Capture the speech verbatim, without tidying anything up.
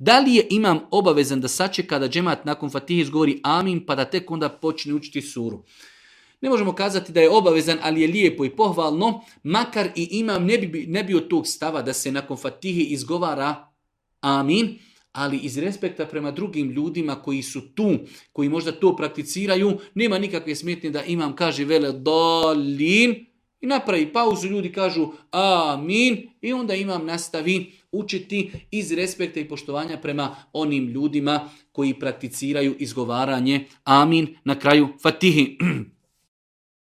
Da li je imam obavezan da sačeka da džemat nakon Fatihe izgovori amin pa da tek onda počne učiti suru? Ne možemo kazati da je obavezan, ali je lijepo i pohvalno, makar i imam ne bi, ne bi od tog stava da se nakon Fatihe izgovara amin, ali iz respekta prema drugim ljudima koji su tu, koji možda to prakticiraju, nema nikakve smetnje da imam kaže vele dolin i napravi pauzu, ljudi kažu amin i onda imam nastavi učiti iz respekta i poštovanja prema onim ljudima koji prakticiraju izgovaranje amin na kraju Fatihi.